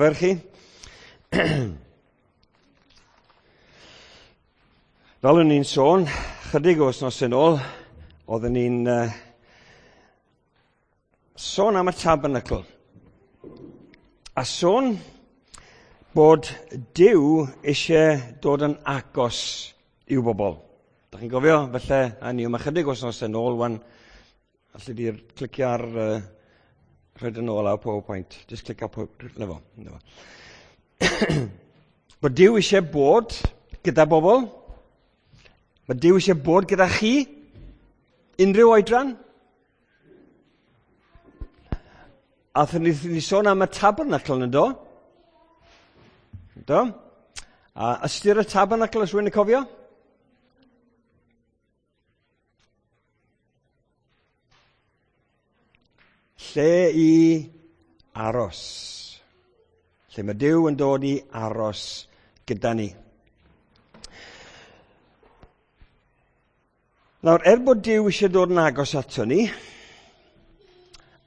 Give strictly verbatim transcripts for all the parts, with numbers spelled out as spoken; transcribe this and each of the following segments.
Fer chi. Fel o'n i'n sôn, chydig o wythnos yn ôl, oedden ni'n uh, sôn am y tabernacl. A sôn bod Duw eisiau dod yn agos i'w bobl. Da chi'n gofio? Felly, a ni yma chydig o wythnos yn ôl, wan, allu di'r clicio ar uh, rhaid yn ôl ar PowerPoint. Just clicio PowerPoint. Na fo. Na fo. Bod Duw eisiau bod gyda bobl. Mae Duw eisiau bod gyda chi. Unrhyw oedran. A ni, ni sôn am y tabernacl yn do. Do. A ystyr y tabernacl, os rwy'n cofio? Lle i aros. Lle mae Duw yn dod i aros gyda ni. Nawr, er bod Duw eisiau dod yn agos ato ni,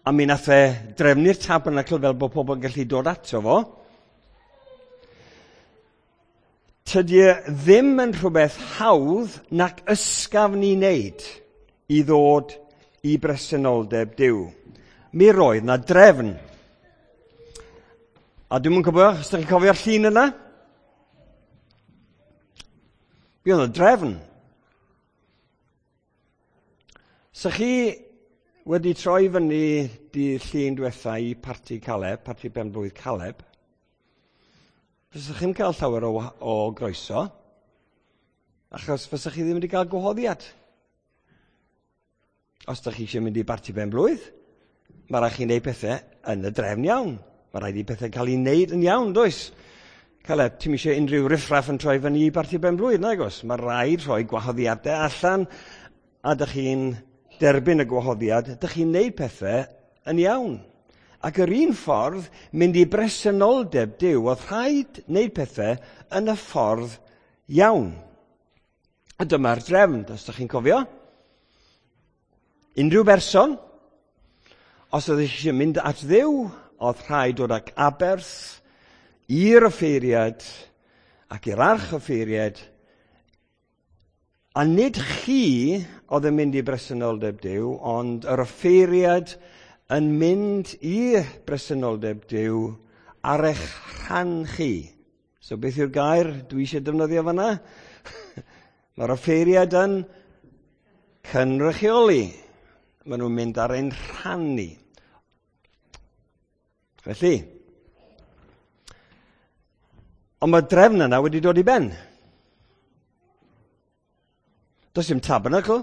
a mi nath e drefnu'r tabernacl fel bod pobl yn gallu dod ato fo, tydi e ddim yn rhywbeth hawdd nac ysgafn i wneud i ddod i bresenoldeb Duw. Mi roedd na drefn. A dwi'm yn cofio, os ydych chi'n cofio'r llun yna? Mi oedd na drefn. Sa chi wedi troi fyny dydd Llun diwetha i parti Caleb, parti benblwydd Caleb, fysa chi'n cael llawer o, o groeso, achos fysa chi ddim wedi cael gwahoddiad. Os ydych chi eisiau mynd i barti benblwydd, mae rhaid chi wneud pethau yn y drefn iawn. Mae rhaid i pethau cael ei wneud yn iawn, does? Caleb, ti'm eisiau unrhyw riffraff yn troi fyny i barti benblwydd, nag oes? Mae rhaid rhoi gwahoddiadau allan, a dych chi'n derbyn y gwahoddiad, dych chi'n wneud pethau yn iawn. Ac yr un ffordd, mynd i bresenoldeb Duw, oedd rhaid wneud pethau yn y ffordd iawn. A dyma'r drefn, os ydych chi'n cofio. Unrhyw berson, os oedd eisiau mynd at Dduw, oedd rhaid dod ag aberth i'r offeiriad ac i'r arch offeiriad, a nid chi oedd yn mynd i bresenoldeb Duw, ond yr offeiriad yn mynd i bresenoldeb Duw ar eich rhan chi. So beth yw'r gair dwi eisiau defnyddio fanna? Mae'r offeiriad yn cynrychioli. Maen nhw'n mynd ar ein rhan ni. Felly, ond mae'r drefn yna wedi dod i ben. Does dim tabernacl.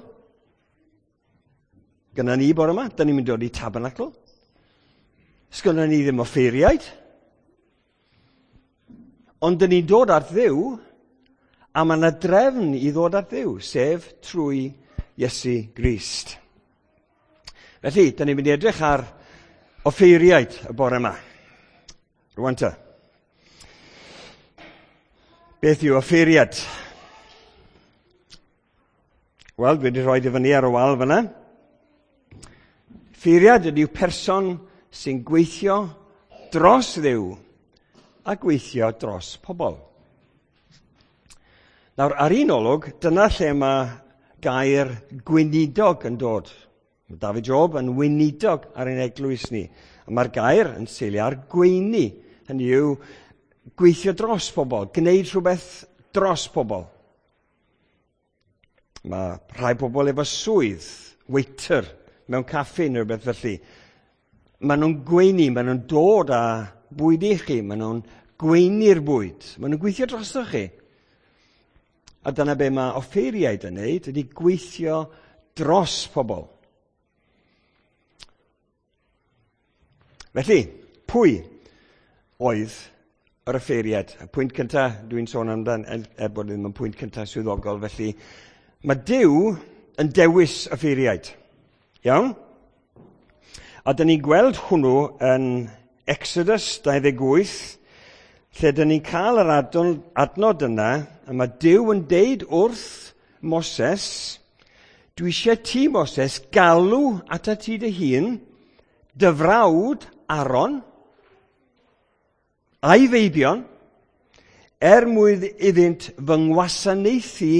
Gynna ni bore yma, da ni'n mynd i dod i tabernacl. Sgynna ni ddim offeiriaid. Ond dyn ni'n dod at Dduw, a mae yna drefn i ddod at Dduw, sef trwy Iesu Grist. Felly, dyn ni'n mynd i edrych ar offeiriaid y bore yma. Rwan ta. Beth yw offeiriad? Wel, dwi wedi rhoi i fyny ar y wal fyna. Offeiriad ydyw person sy'n gweithio dros Dduw a gweithio dros pobl. Nawr, ar un olwg, dyna lle mae gair gweinidog yn dod. Mae David Job yn weinidog ar ein eglwys ni. A mae'r gair yn seilio ar gweini. Hynny yw gweithio dros pobl, gwneud rhywbeth dros pobl. Mae rhai pobl efo swydd, waiter, mewn caffi neu rhywbeth felly. Maen nhw'n gweini, maen nhw'n dod â bwyd i chi, maen nhw'n gweini'r bwyd, maen nhw'n gweithio drosoch chi. A dyna be mae offeiriaid yn neud, ydy gweithio dros pobl. Felly, pwy oedd yr offeiriad? Y pwynt cyntaf dwi'n sôn amdan, er bod ddim yn pwynt cyntaf swyddogol, felly mae Duw yn dewis offeiriaid. Iawn? A dyn ni'n gweld hwnnw yn Exodus dau ddeg wyth, lle dyn ni'n cael yr adnod yna, a mae Duw yn deud wrth Moses, dwi eisiau ti, Moses, galw atat ti dy hun, dy frawd Aaron, a'i feibion, er mwyn iddynt fy ngwasanaethu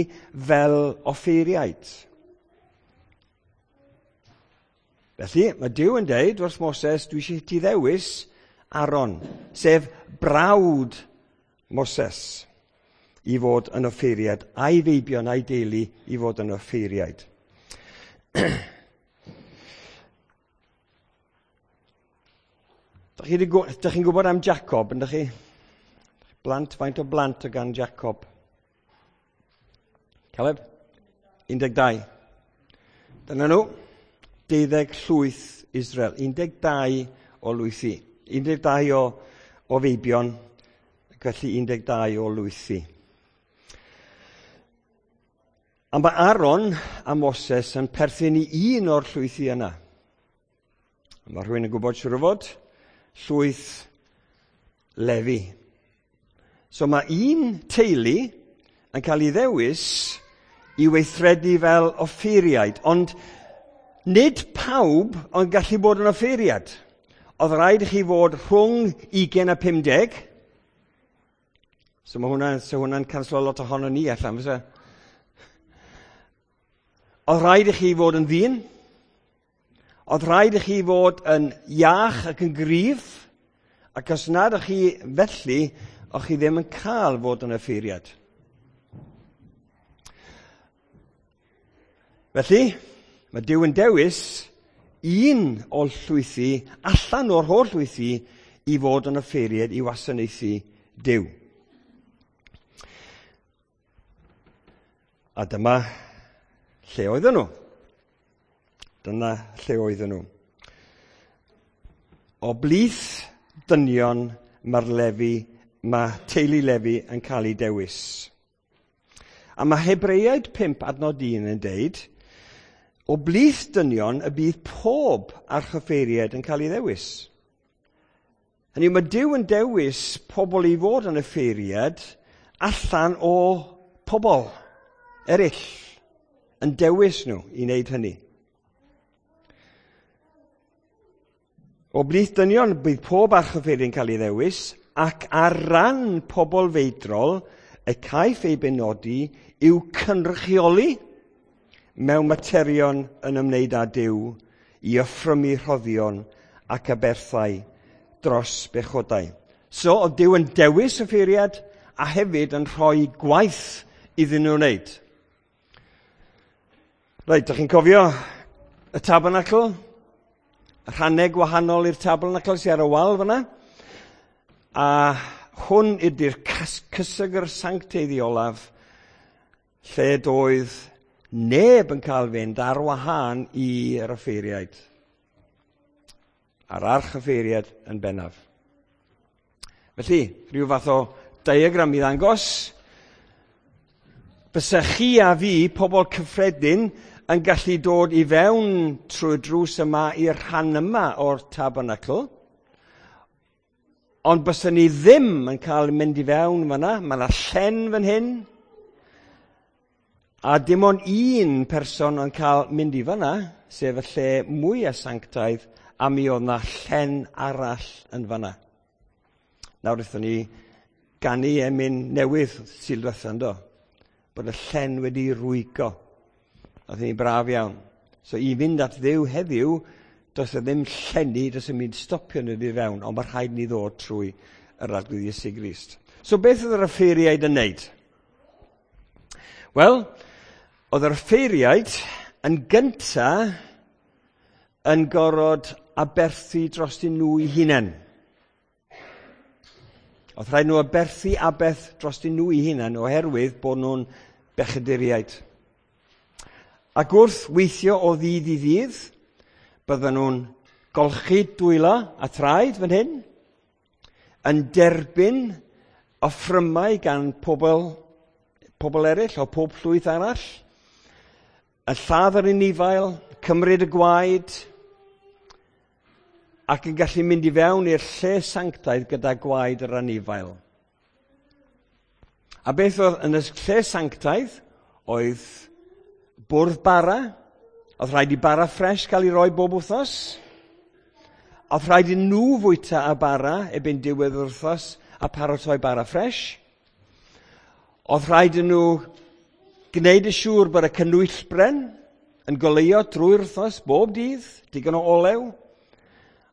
fel offeiriaid. Felly, mae Duw yn deud wrth Moses, dwi eisiau ti ddewis Aaron, sef brawd Moses, i fod yn offeiriad, a'i feibion a'i deulu i fod yn offeiriaid. Dach chi'n gwybod am Jacob, yndych chi? Blant, faint o blant o gan Jacob? Caleb? un deg dau. Dyna nhw, deuddeg llwyth Israel. un deg dau o lwythi. un deg dau o, o feibion, ac felly un deg dau o lwythi. A mae Aaron a Moses yn perthyn i un o'r llwythi yna. A mae rhywun yn gwybod siŵr o fod, llwyth Lefi. So mae un teulu yn cael ei ddewis i weithredu fel offeiriaid, ond nid pawb ond gallu bod yn offeiriad. Oedd rhaid i chi fod rhwng ugain a pumdeg. So mae hwnna, so hwnna'n canslo lot ohono ni allan, fysa? Oedd rhaid i chi fod yn ddyn. Oedd rhaid i chi fod yn iach ac yn gryf. Ac os nad ych chi felly, o'ch chi ddim yn cael fod yn offeiriad. Felly, mae Duw yn dewis un o'r llwythi, allan o'r holl llwythi, i fod yn offeiriad i wasanaethu Duw. A dyma lle oedden nhw. Dyna lle oedden nhw. O blith dynion mae'r Lefi, mae teulu Lefi yn cael ei dewis. A mae Hebreaid pump adnod un yn deud, o blith dynion y bydd pob archoffeiriad yn cael ei ddewis. Hynny yw, mae Duw yn dewis pobl i fod yn offeiriad allan o pobl eraill, yn dewis nhw i wneud hynny. O blith dynion bydd pob archoffeiriad yn cael ei ddewis, ac ar ran pobl feidrol y caiff ei benodi i'w cynrychioli mewn materion yn ymwneud â Duw i offrymu rhoddion ac aberthau dros bechodau. So, oedd Duw yn dewis offeiriad a hefyd yn rhoi gwaith iddyn nhw wneud. Reit, dych chi'n cofio y tabernacl? Y rhannau gwahanol i'r tabernacl sydd ar y wal fyna. A hwn ydy'r cysegr sanctaidd olaf, lle doedd neb yn cael fynd ar wahân i'r offeiriaid. A'r archoffeiriaid yn bennaf. Felly, rhyw fath o diagram i ddangos. Bysa chi a fi, pobl cyffredin, yn gallu dod i fewn trwy drws yma i'r rhan yma o'r tabernacl, ond bysa ni ddim yn cael mynd i fewn fyna. Mae yna llen fan hyn, a dim ond un person yn cael mynd i fyna, sef y lle mwyaf sanctaidd, a mi oedd yna llen arall yn fyna. Nawr wnaethon ni ganu emyn newydd Sul diwetha, yndo? Bod y llen wedi rwygo. Oedd hi'n braf iawn. So i fynd at Dduw heddiw, does e ddim llenni, does e mynd stopio nhw i fewn, ond mae rhaid ni ddod trwy yr Arglwydd Iesu Grist. So beth oedd yr offeiriaid yn neud? Wel, oedd yr offeiriaid yn gynta yn gorfod aberthu drostyn nhw eu hunain. Oedd rhaid nhw aberthu aberth drostyn nhw eu hunain oherwydd bod nhw'n bechaduriaid. Ac wrth weithio o ddydd i ddydd, bydden nhw'n golchi dwylo a thraed fan hyn, yn derbyn offrymau gan pobl, pobl eraill o pob llwyth arall, yn lladd yr anifail, cymryd y gwaed, ac yn gallu mynd i fewn i'r lle sanctaidd gyda gwaed yr anifail. A beth oedd yn y lle sanctaidd oedd bwrdd bara. Oedd rhaid i bara ffres cael ei roi bob wythnos. Oedd rhaid i nhw fwyta a bara erbyn diwedd yr wythnos, a paratoi bara ffres. Oedd rhaid i nhw gwneud yn siŵr bod y canwyllbren yn goleuo drwy'r wythnos bob dydd, digon o olew.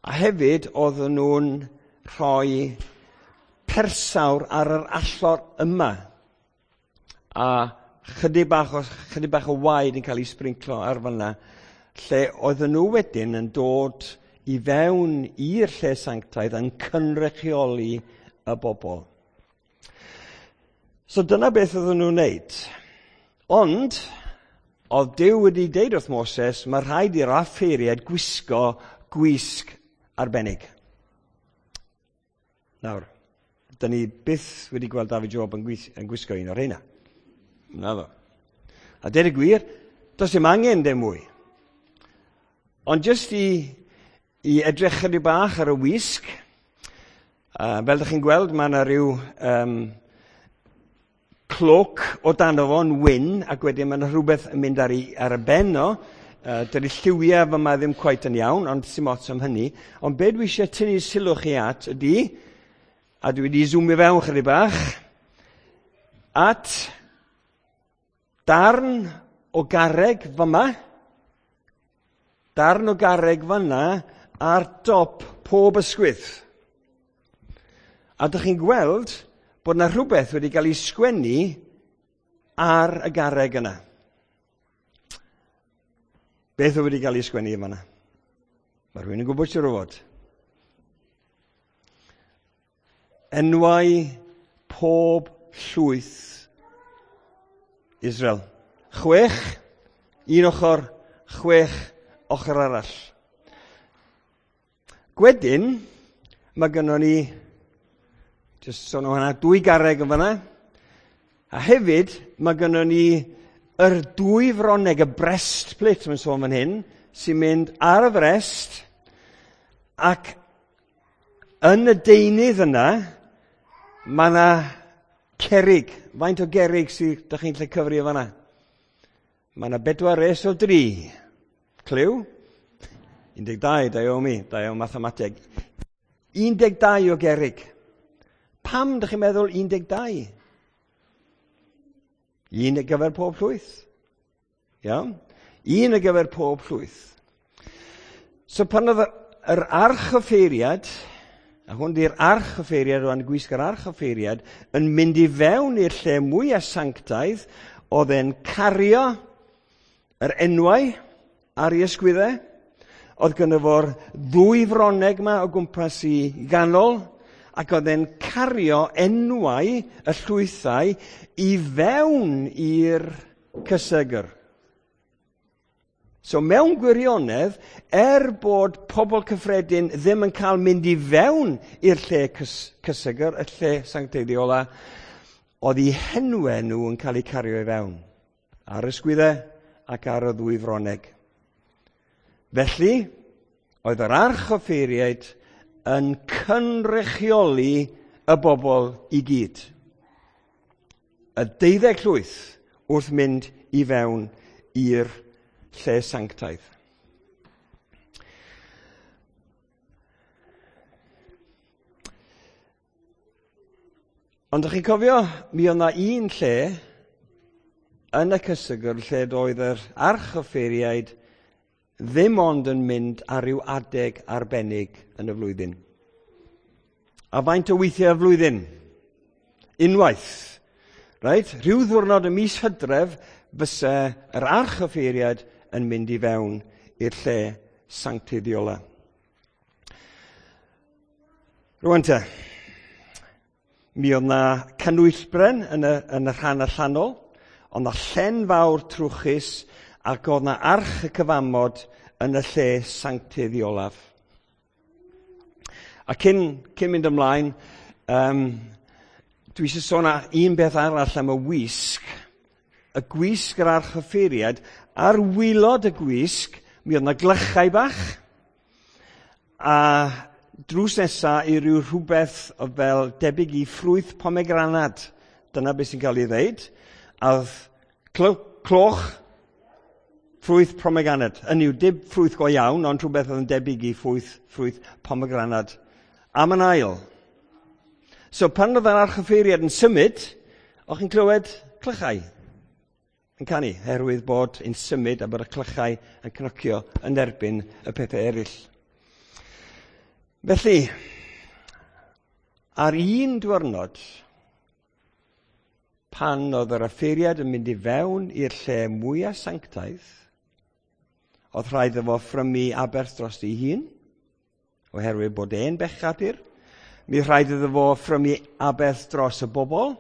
A hefyd oedden nhw'n rhoi persawr ar yr allor yma. A chydig bach o, chydig bach o waed yn cael ei sbrinclo ar fanna, lle oedden nhw wedyn yn dod i fewn i'r lle sanctaidd yn cynrychioli y bobl. So dyna beth oedden nhw'n wneud. Ond, oedd Duw wedi deud wrth Moses, mae rhaid i'r offeiriaid gwisgo gwisg arbennig. Nawr, dyn ni byth wedi gweld David Job yn, gwis, yn gwisgo un o'r rheina. Naddo. A deud y gwir, does dim angen dim mwy. Ond jyst i, i edrych chydig bach ar y wisg, uh, fel ydych chi'n gweld, mae yna rhyw um, cloak o dan o fo'n wyn, ac wedyn mae yna rhywbeth yn mynd ar, ei, ar y ben o. Uh, dydy lliwiau fyma ddim cweit yn iawn, ond sim ots am hynny. Ond be dwi eisiau tynnu sylw chi at ydy, a dwi wedi zoomio fewn chydig bach, at darn o garreg fyma, darn o garreg fyna ar dop pob ysgwydd. A dych chi'n gweld bod yna rhywbeth wedi cael ei sgwennu ar y garreg yna. Beth oedd wedi cael ei sgwennu yma? Mae rhywun yn gwybod siŵr o fod. Enwau pob llwyth Israel. Chwech, un ochr, chwech ochr arall. Gwedyn, mae gynnon ni, jyst sôn o hwnna, dwy garreg yn fanna. A hefyd, mae gynnon ni yr dwy froneg, y breastplate, mae'n sôn fan hyn, sy'n mynd ar y frest, ac yn y deunydd yna, mae yna cerig. Faint o gerig sydd, dych chi'n lle cyfri o fanna? Mae yna bedwar res o dri. Cliw? un deg dau, da iawn mi, da iawn mathemateg. un deg dau o gerig. Pam dych chi'n meddwl un deg dau? Un ar gyfer pob llwyth. Iawn? Un ar gyfer pob llwyth. So pan oedd yr archoffeiriad, a hwn di'r archoffeiriad rwan, gwisg yr archoffeiriad, yn mynd i fewn i'r lle mwyaf sanctaidd, oedd e'n cario yr enwau ar ei ysgwyddau, oedd gynno fo'r ddwy froneg yma o gwmpas i ganol, ac oedd e'n cario enwau y llwythau i fewn i'r cysegr. So mewn gwirionedd, er bod pobl cyffredin ddim yn cael mynd i fewn i'r lle cys- cysegr, y lle sancteiddiol, oedd eu henwau nhw yn cael eu cario i fewn, ar y ysgwyddau ac ar y ddwy froneg. Felly, oedd yr archoffeiriaid yn cynrychioli y bobl i gyd. Y deuddeg llwyth wrth mynd i fewn i'r lle sanctaidd. Ond ydych chi'n cofio, mi oedd 'na un lle yn y cysegr lle doedd yr archoffeiriaid ddim ond yn mynd ar ryw adeg arbennig yn y flwyddyn. A faint o weithiau y flwyddyn? Unwaith. Right? Rhyw ddiwrnod y mis Hydref fysa yr archoffeiriad yn mynd i fewn i'r lle sancteiddiola. Rwan te, mi oedd na canwyllbren yn y, yn y rhan allanol, ond na llen fawr trwchus, ac oedd na arch y cyfamod yn y lle sancteiddolaf. A cyn, cyn mynd ymlaen, um, dwi eisiau sôn am un beth arall am y wisg. Y gwisg yr archoffeiriad, ar waelod y gwisg, mi oedd na glychau bach, a drws nesa i ryw rhywbeth o fel debyg i ffrwyth pomegranad. Dyna beth sy'n cael ei ddeud. A oedd cloch ffrwyth pomegranad. Hynny yw, dim ffrwyth go iawn, ond rhywbeth oedd yn debyg i ffrwyth, ffrwyth pomegranad. Am yn ail. So pan oedd yr archoffeiriad yn symud, o'ch chi'n clywed clychau yn canu, herwydd bod yn symud a bod y clychau yn cnocio yn erbyn y pethau eraill. Felly, ar un diwrnod, pan oedd yr offeiriad yn mynd i fewn i'r lle mwyaf sanctaidd, oedd rhaid iddo fo offrymu aberth dros ei hun, oherwydd bod e'n bechadur. Mi rhaid iddo fo offrymu aberth dros y bobl,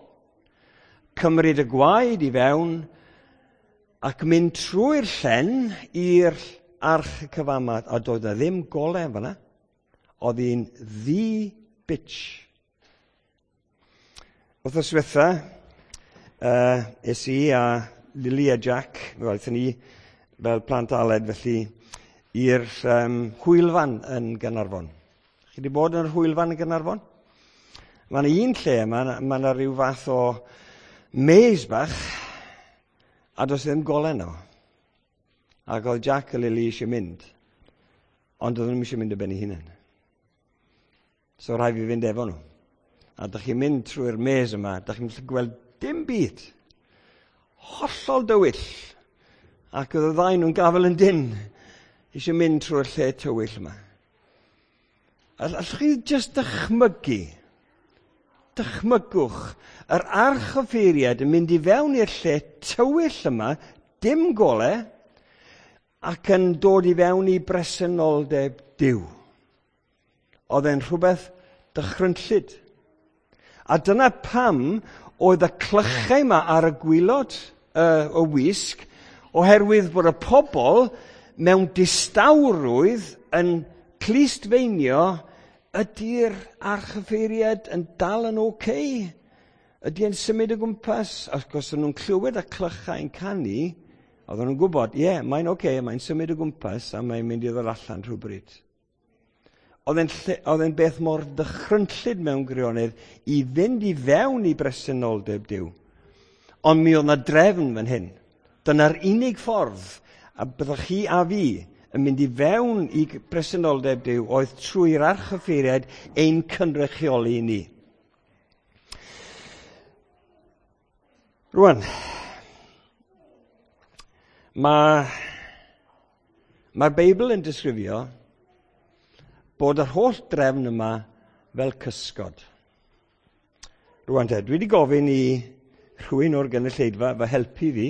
cymryd y gwaed i fewn, ac mynd trwy'r llen i'r arch y cyfamod, a doedd na ddim golau fan'na. Oedd hi'n ddu bitch. Wythnos ddiwetha, uh, es i a Lily a Jack, wel, aethon ni fel plant Aled felly, i'r um, hwylfan yn Gaernarfon. Chi wedi bod yn yr hwylfan yn Gaernarfon? Mae yna un lle, mae yna ma rhyw fath o maze bach, a does ddim golau yno. Ac oedd Jack a Lily eisiau mynd, ond oedden nhw eisiau mynd o ben eu hunain. So rhaid fi fynd efo nhw. A dych chi'n mynd trwy'r maze yma, dych chi'n gallu gweld dim byd. Hollol dywyll. Ac oedd y ddau nhw'n gafel yn dyn, eisiau mynd trwy'r lle tywyll yma. Allwch chi jyst dychmygu, dychmygwch, yr archoffeiriad yn mynd i fewn i'r lle tywyll yma, dim golau, ac yn dod i fewn i bresenoldeb Duw. Oedd e'n rhywbeth dychrynllyd. A dyna pam oedd y clychau yma ar y gwaelod uh, o wisg, oherwydd bod y pobl mewn distawrwydd yn clustfeinio, ydy'r archoffeiriad yn dal yn oce? Okay? Ydy e'n symud o gwmpas? Ac os o'n nhw'n clywed y clychau yn canu, oedden nhw'n gwybod, ie, yeah, mae'n oce, okay, mae'n symud o gwmpas a mae'n mynd i ddod allan rhywbryd. Oedd e'n oedd e'n beth mor dychrynllyd mewn gwirionedd i fynd i fewn i bresenoldeb Duw. Ond mi oedd 'na drefn fan hyn. Dyna'r unig ffordd a byddwch chi a fi yn mynd i fewn i bresenoldeb Duw oedd trwy'r archoffeiriad ein cynrychioli ni. Rwan, mae, mae'r Beibl yn disgrifio bod yr holl drefn yma fel cysgod. Rwan te, dwi wedi gofyn i rhywun o'r gynulleidfa fy helpu fi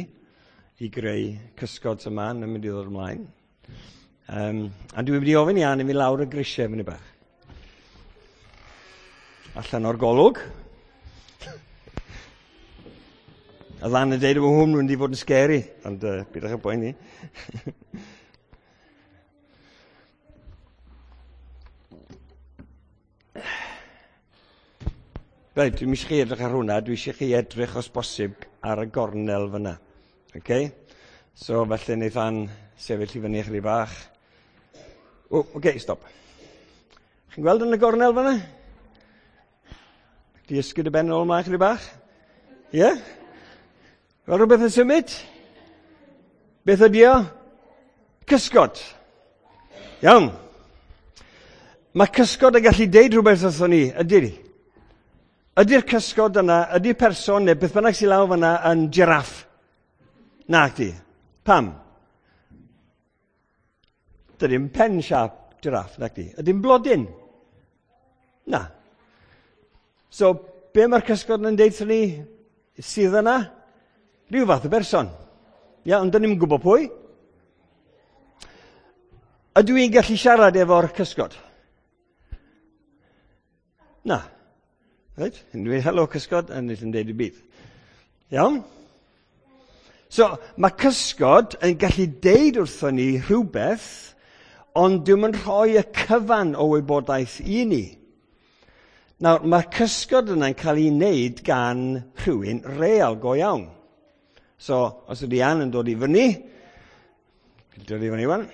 i greu cysgod yma yn mynd i ddod ymlaen. Um, a dwi wedi ofyn i Ann i fi lawr y grisiau fyny bach. Allan o'r golwg. A ddan yn dweud bod hwn mynd i fod yn scary, ond uh, bydwch yn poeni. Reit, dwi'n eisiau chi edrych ar hwnna, dwi eisiau chi edrych os bosib ar y gornel fyna. Okay? So, felly wneith Ann sefyll i fyny chydig bach. O, oce, okay, stop. Chi'n gweld yn y gornel fyna? Di ysgyd y ben yn ôl ymlaen chydig bach? Ie? Yeah? Fel rhywbeth yn symud? Beth ydi o? Cysgod. Iawn. Mae cysgod yn gallu deud rhywbeth wrthon ni, ydy ni? Ydy'r cysgod yna, ydy'r person neu beth bynnag sy'n lawr fyna yn giraff? Na, di. Pam? Dydy'n pen siâp giraff, na di. Ydy'n blodyn? Na. So, be mae'r cysgod yn deud wrthon ni sydd yna? Rhyw fath o berson. Ia, ond dyn ni'm yn gwybod pwy. Ydw i'n gallu siarad efo'r cysgod? Na. Reit? Yn dweud, helo cysgod, a nes yn dweud y byd. Iawn? So, mae cysgod yn gallu deud wrthon ni rhywbeth, ond dwi'm yn rhoi y cyfan o wybodaeth i ni. Nawr, mae'r cysgod yna'n cael ei wneud gan rhywun real go iawn. So, os ydy Ann yn dod i fyny, dod i fyny wan,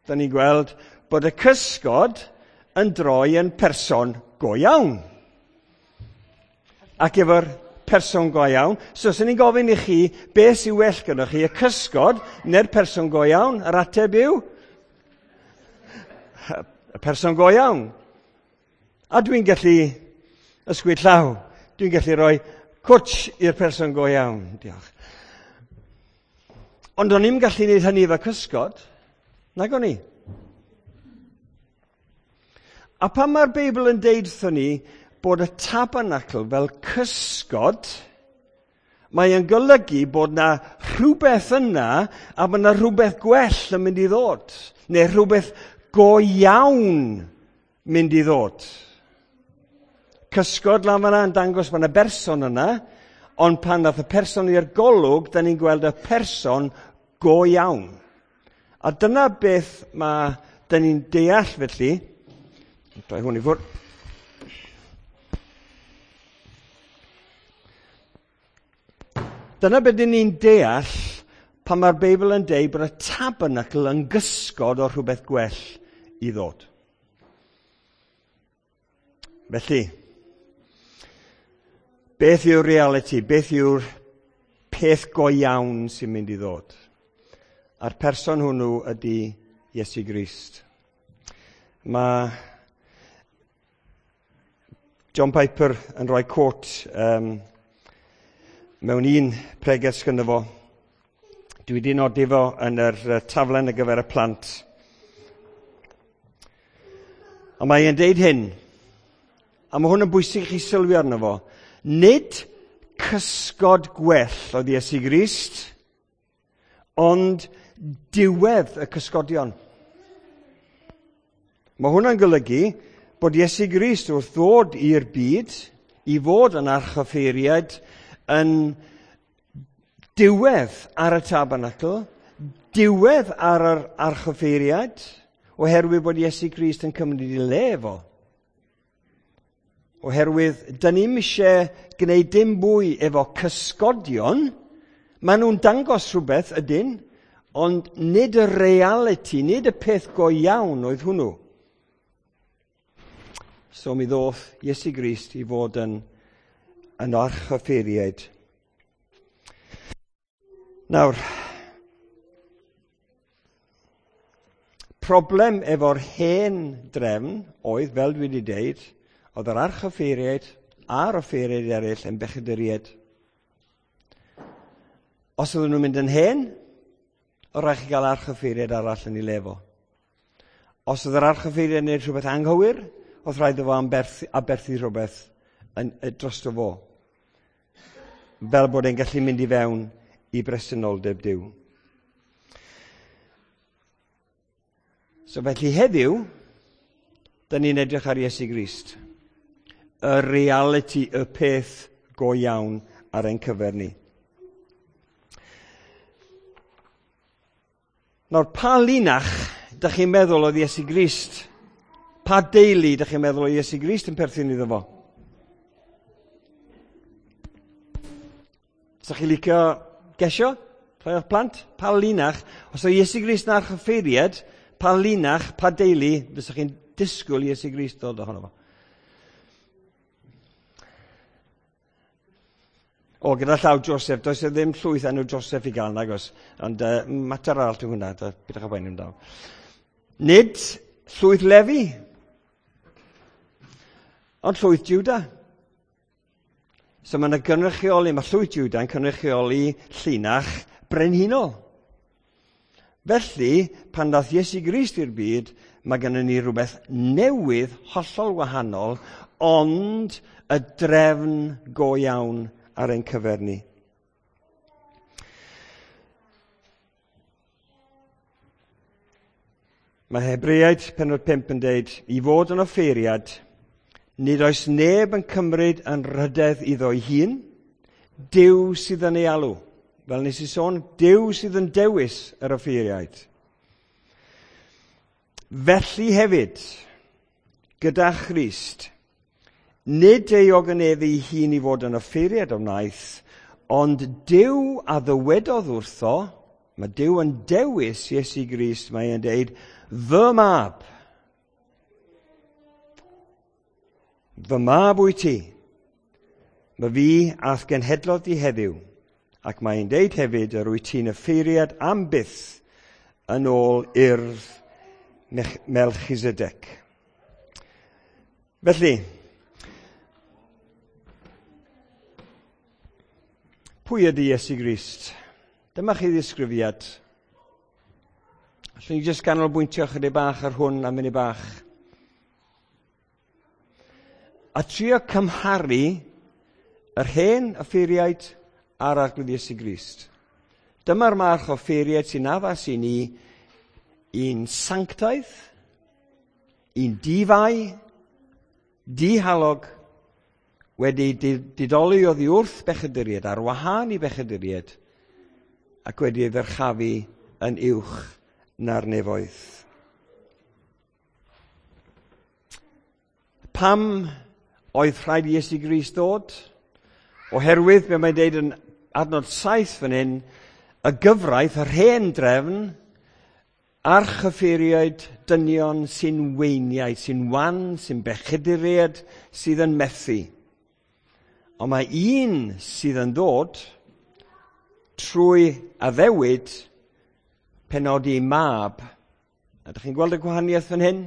da ni'n gweld bod y cysgod yn droi yn person go iawn. Ac efo'r person go iawn, so os ni'n gofyn i chi beth sy'n well gyda chi, y cysgod neu'r person go iawn, yr ateb yw y person go iawn. A dwi'n gallu Ysgwyd llaw. Dwi'n gallu rhoi cwtsh i'r person go iawn. Diolch. Ond o'n i'n gallu gwneud hynny efo cysgod. Nag o'n i. A pan mae'r Beibl yn deud wrthon ni bod y tabernacl fel cysgod, mae yn golygu bod na rhywbeth yna a bod na rhywbeth gwell yn mynd i ddod. Neu rhywbeth go iawn mynd i ddod. Cysgod lan fan'na yn dangos bod yna berson yna, ond pan ddath y person i'r golwg, da ni'n gweld y person go iawn. A dyna beth mae, da ni'n deall felly. Droi hwn i ffwrdd. Dyna beth dyn ni'n deall pan mae'r Beibl yn deud bod y tabernacl yn gysgod o rhywbeth gwell i ddod. Felly, beth yw'r reality? Beth yw'r peth go iawn sy'n mynd i ddod? A'r person hwnnw ydy Iesu Grist. Mae John Piper yn rhoi quote um, mewn un pregeth sgynno fo. Dwi wedi nodi fo yn yr taflen ar gyfer y plant. A mae e'n deud hyn, a mae hwn yn bwysig i chi sylwi arno fo. Nid cysgod gwell oedd Iesu Grist, ond diwedd y cysgodion. Mae hwnna'n golygu bod Iesu Grist wrth ddod i'r byd, i fod yn archoffeiriad, yn diwedd ar y tabernacl, diwedd ar yr archoffeiriad, oherwydd bod Iesu Grist yn cymryd ei le fo. Oherwydd, dyn ni'm eisiau gwneud dim mwy efo cysgodion, maen nhw'n dangos rhywbeth ydyn, ond nid y reality, nid y peth go iawn oedd hwnnw. So mi ddoth Iesu Grist i fod yn, yn archoffeiriaid. Nawr, problem efo'r hen drefn oedd, fel dwi wedi deud, oedd yr archoffeiriaid a'r offeiriaid eraill yn bechaduriaid. Os oedden nhw'n mynd yn hen, oedd rhaid chi gael archoffeiriaid arall yn ei le fo. Os oedd yr archoffeiriaid yn gwneud rhywbeth anghywir, oedd rhaid iddo fo aberthu, aberthu rhywbeth yn, drosto fo. Fel bod e'n gallu mynd i fewn i bresenoldeb Duw. So felly heddiw, da ni'n edrych ar Iesu Grist. Y reality, y peth go iawn ar ein cyfer ni. Nawr, pa linach dych chi'n meddwl oedd Iesu Grist? Pa deulu dych chi'n meddwl oedd Iesu Grist yn perthyn iddo fo? Sa chi'n licio gesio? Rhai o'ch plant? Pa linach? Os oedd Iesu Grist yn archoffeiriad, pa linach, pa deulu fysa chi'n disgwyl Iesu Grist ddod ohono fo? O, gyda llaw Joseph, does e ddim llwyth enw Joseph i gael, nag oes. Ond uh, mater arall yw hwnna, bydwch â poeni amdano. Nid llwyth Lefi, ond llwyth Juda. So mae yna gynrychioli, mae llwyth Juda yn cynrychioli llinach brenhinol. Felly, pan ddath Iesu Grist i'r byd, mae gennym ni rhywbeth newydd, hollol wahanol, ond y drefn go iawn ar ein cyfer ni. Mae Hebreaid pennod pump yn deud, i fod yn offeiriad, nid oes neb yn cymryd yn rhydedd iddo'i hun, Duw sydd yn ei alw. Fel nes i sôn, Duw sydd yn dewis yr offeiriaid. Felly hefyd, gyda Christ, nid ei ogoneddu ei hun i fod yn offeiriad o wnaeth, ond Duw a ddywedodd wrtho, mae Duw yn dewis Iesu Grist, mae e'n deud, fy mab, fy mab wyt ti, mae fi a'th genhedlodd di heddiw, ac mae'n deud hefyd yr wyt ti'n offeiriad am byth yn ôl urdd Melchizedek. Felly, Pwy ydy Iesu Grist? Dyma chi ddisgrifiad. Allwn ni jyst ganolbwyntio chydig bach ar hwn am munud bach. A trio cymharu yr hen offeiriaid a'r Arglwydd Iesu Grist. Dyma'r math o offeiriaid sy'n addas i ni, un sanctaidd, un di-fai, dihalog, wedi didoli oddi wrth bechaduriaid, ar wahân i bechaduriaid, ac wedi ei ddyrchafu yn uwch na'r nefoedd. Pam oedd rhaid i Iesu Grist ddod? Oherwydd, be mae'n deud yn adnod saith fan hyn, y gyfraith, yr hen drefn, archoffeiriaid dynion sy'n weiniaid, sy'n wan, sy'n bechaduriaid, sydd yn methu. Ond mae un sydd yn dod trwy addewid penodi mab. Ydych chi'n gweld y gwahaniaeth fan hyn?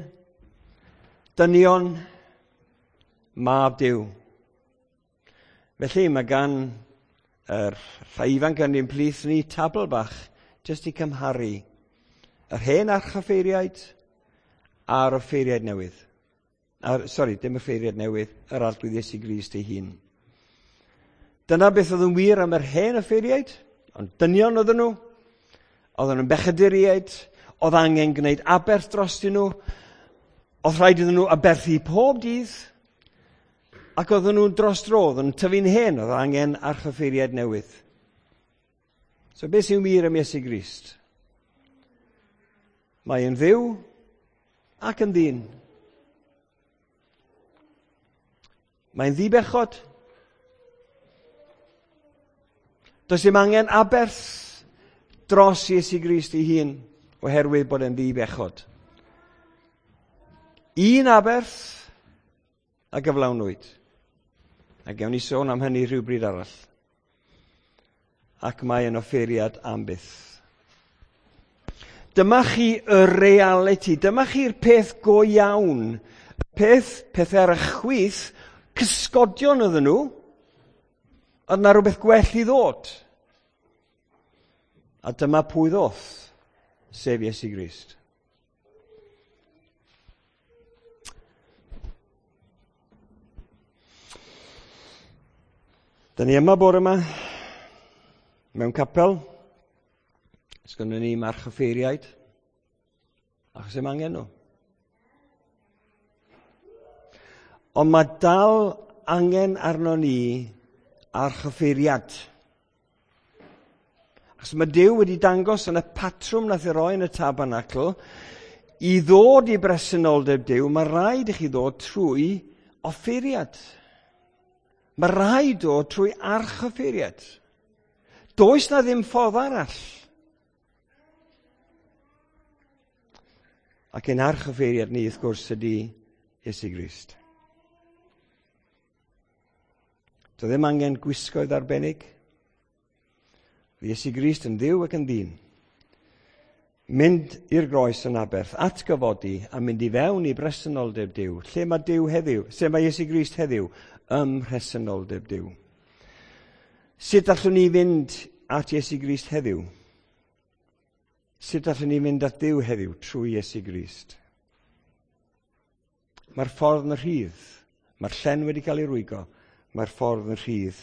Dynion, mab Duw. Felly mae gan yr rhai ifanc yn ein plith ni tabl bach jyst i cymharu yr hen archoffeiriaid a'r offeiriaid newydd. Ar, sori, dim offeiriaid newydd, yr Arglwydd Iesu Grist ei hun. Dyna beth oedd yn wir am yr hen offeiriaid, ond dynion oedden nhw, oedden nhw'n bechaduriaid, oedd angen gwneud aberth drostyn nhw, oedd rhaid iddyn nhw aberthu pob dydd, ac oedden nhw'n dros dro, oedden nhw'n tyfu'n hen, oedd angen archoffeiriaid newydd. So beth sy'n wir am Iesu Grist? Mae yn Dduw ac yn ddyn. Mae'n ddibechod. Does dim angen aberth dros Iesu Grist ei hun oherwydd bod e'n ddibechod. Un aberth a gyflawnwyd. A gewn ni sôn am hynny rhywbryd arall. Ac mae yn offeiriad am byth. Dyma chi y reality, dyma chi'r peth go iawn. Peth, pethau ar y chwith, cysgodion oedden nhw, oedd na rhywbeth gwell i ddod. A dyma pwy ddoth, sef Iesu Grist. Dyna ni yma bore yma, mewn capel. Sgynnon ni marchoffeiriaid, achos ddim angen nhw. Ond mae dal angen arno ni archoffeiriad. Achos mae Duw wedi dangos yn y patrwm nath ei roi yn y tabernacl, i ddod i bresenoldeb Duw, mae rhaid i chi ddod trwy offeiriad. Mae rhaid dod trwy archoffeiriad. Does na ddim ffordd arall. Ac ein archoffeiriad ni, wrth gwrs, ydy Iesu Grist. Doedd ddim angen gwisgoedd arbennig. Iesu Grist yn Dduw ac yn ddyn. Mynd i'r groes yn aberth, atgyfodi a mynd i fewn i bresenoldeb Duw. Lle mae Duw heddiw? Lle mae Iesu Grist heddiw? Ym mhresenoldeb Duw. Sut allwn ni fynd at Iesu Grist heddiw? Sut allwn ni fynd at Dduw heddiw trwy Iesu Grist? Mae'r ffordd yn rhydd. Mae'r llen wedi cael ei rwygo. Mae'r ffordd yn rhydd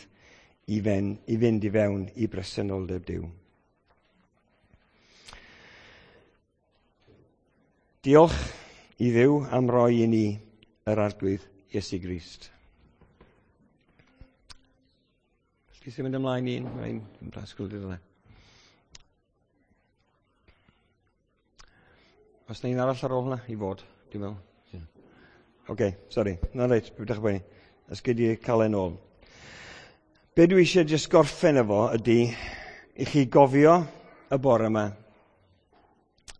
i, fen, i fynd i fewn i bresenoldeb Duw. Diolch i Dduw am roi i ni yr Arglwydd Iesu Grist. Felly sy'n mynd ymlaen un, mae'n brasgwl dydw. Os na un arall ar ôl hwnna i fod, dwi'n meddwl. Oce, okay, sori. Na reit, beth ydych chi'n Os gei di cael e'n ôl. Be dwi eisiau jyst gorffen efo ydy i chi gofio y bore yma.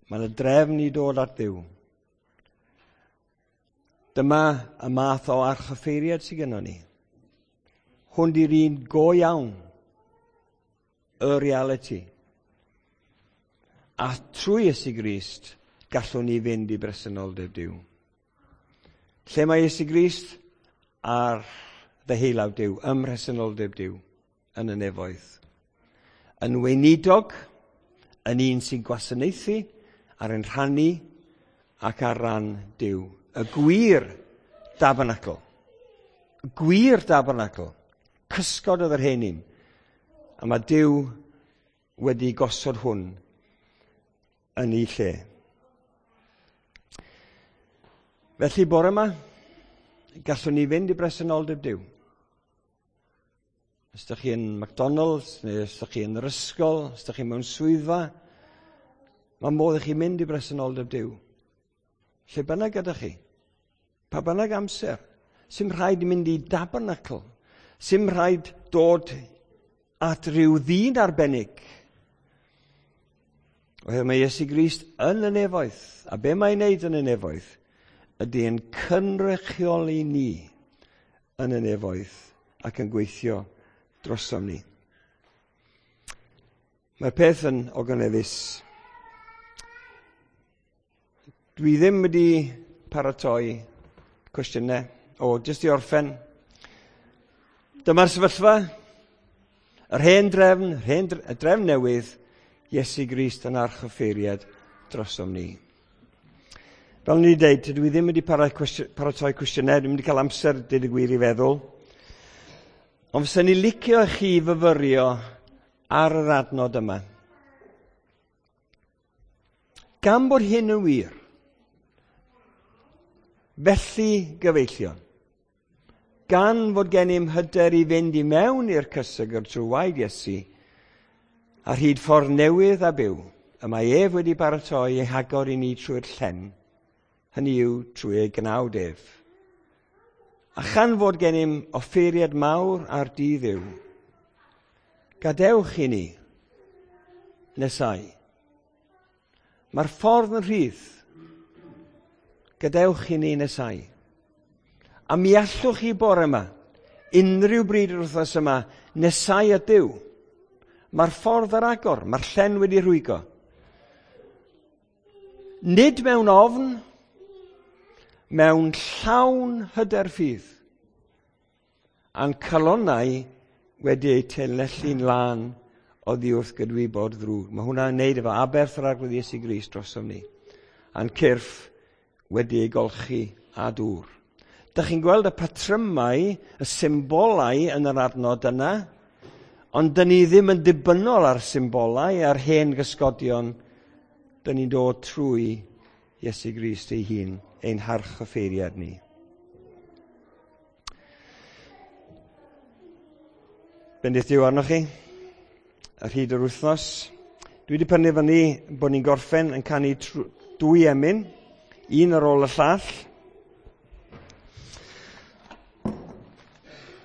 Mae yna drefn i dod at Dduw. Dyma y math o archoffeiriad sydd gennon ni. Hwn di'r un go iawn, y reality. A trwy Iesu Grist, gallwn ni fynd i bresenoldeb Duw. Lle mae Iesu Grist? Ar ddeheulaw Duw, ym mhresenoldeb Duw. yn y nefoedd. Yn weinidog, yn un sy'n gwasanaethu, ar ein rhannu ac ar ran Duw. Y gwir dabernacl. Y gwir dabernacl. Cysgod oedd yr hen un. A mae Duw wedi gosod hwn yn ei lle. Felly bore yma, gallwn ni fynd i bresenoldeb Duw. Os ydych chi yn McDonald's, neu os ydych chi yn yr ysgol, os ydych chi mewn swyddfa, mae modd i chi mynd i bresenoldeb Duw. Lle bynnag ydych chi, pa bynnag amser, sy'm rhaid mynd i dabernacl, sy'm rhaid dod at ryw ddyn arbennig. Oherwydd mae Iesu Grist yn y nefoedd, a be mae'n wneud yn y nefoedd, ydy yn cynrychioli ni yn y nefoedd ac yn gweithio drosom ni. Mae'r peth yn ogoneddus. Dwi ddim wedi paratoi cwestiynau. O, jyst i orffen. Dyma'r sefyllfa. Yr hen drefn, yr hen dre, y drefn newydd, Iesu Grist yn archoffeiriad drosom ni. Fel ni wedi dweud, dwi ddim wedi paratoi cwestiynau, dwi'n wedi cael amser, dweud y gwir, i feddwl. Ond fysa ni licio chi fyfyrio ar yr adnod yma. Gan bod hyn yn wir, felly gyfeillion, gan fod gennym hyder i fynd i mewn i'r cysegr trwy waed Iesu, ar hyd ffordd newydd a byw, y mae ef wedi baratoi ei hagor i ni trwy'r llen, hynny yw trwy ei gnawd ef. A chan fod gennym offeiriad mawr ar dydd Dduw, gadewch i ni nesau. Mae'r ffordd yn rhydd. Gadewch i ni nesau. A mi allwch chi bore yma, unrhyw bryd yr wythnos yma, nesau at Duw. Mae'r ffordd ar agor, mae'r llen wedi rhwygo. Nid mewn ofn, mewn llawn hyder ffydd, a'n calonnau wedi eu taenellu'n lân oddi wrth gydwybod ddrwg. Mae hwnna'n neud efo aberth yr Arglwydd Iesu Grist drosom ni, a'n cyrff wedi ei golchi â dŵr. Dych chi'n gweld y patrymau, y symbolau yn yr adnod yna, ond dyn ni ddim yn dibynnol ar symbolau, ar hen gysgodion. Dyn ni'n dod trwy Iesu Grist ei hun, ein harchoffeiriad ni. Bendith Duw arnoch chi ar hyd yr wythnos. Dwi wedi penderfynu bod ni'n gorffen yn canu dwy emyn, un ar ôl y llall.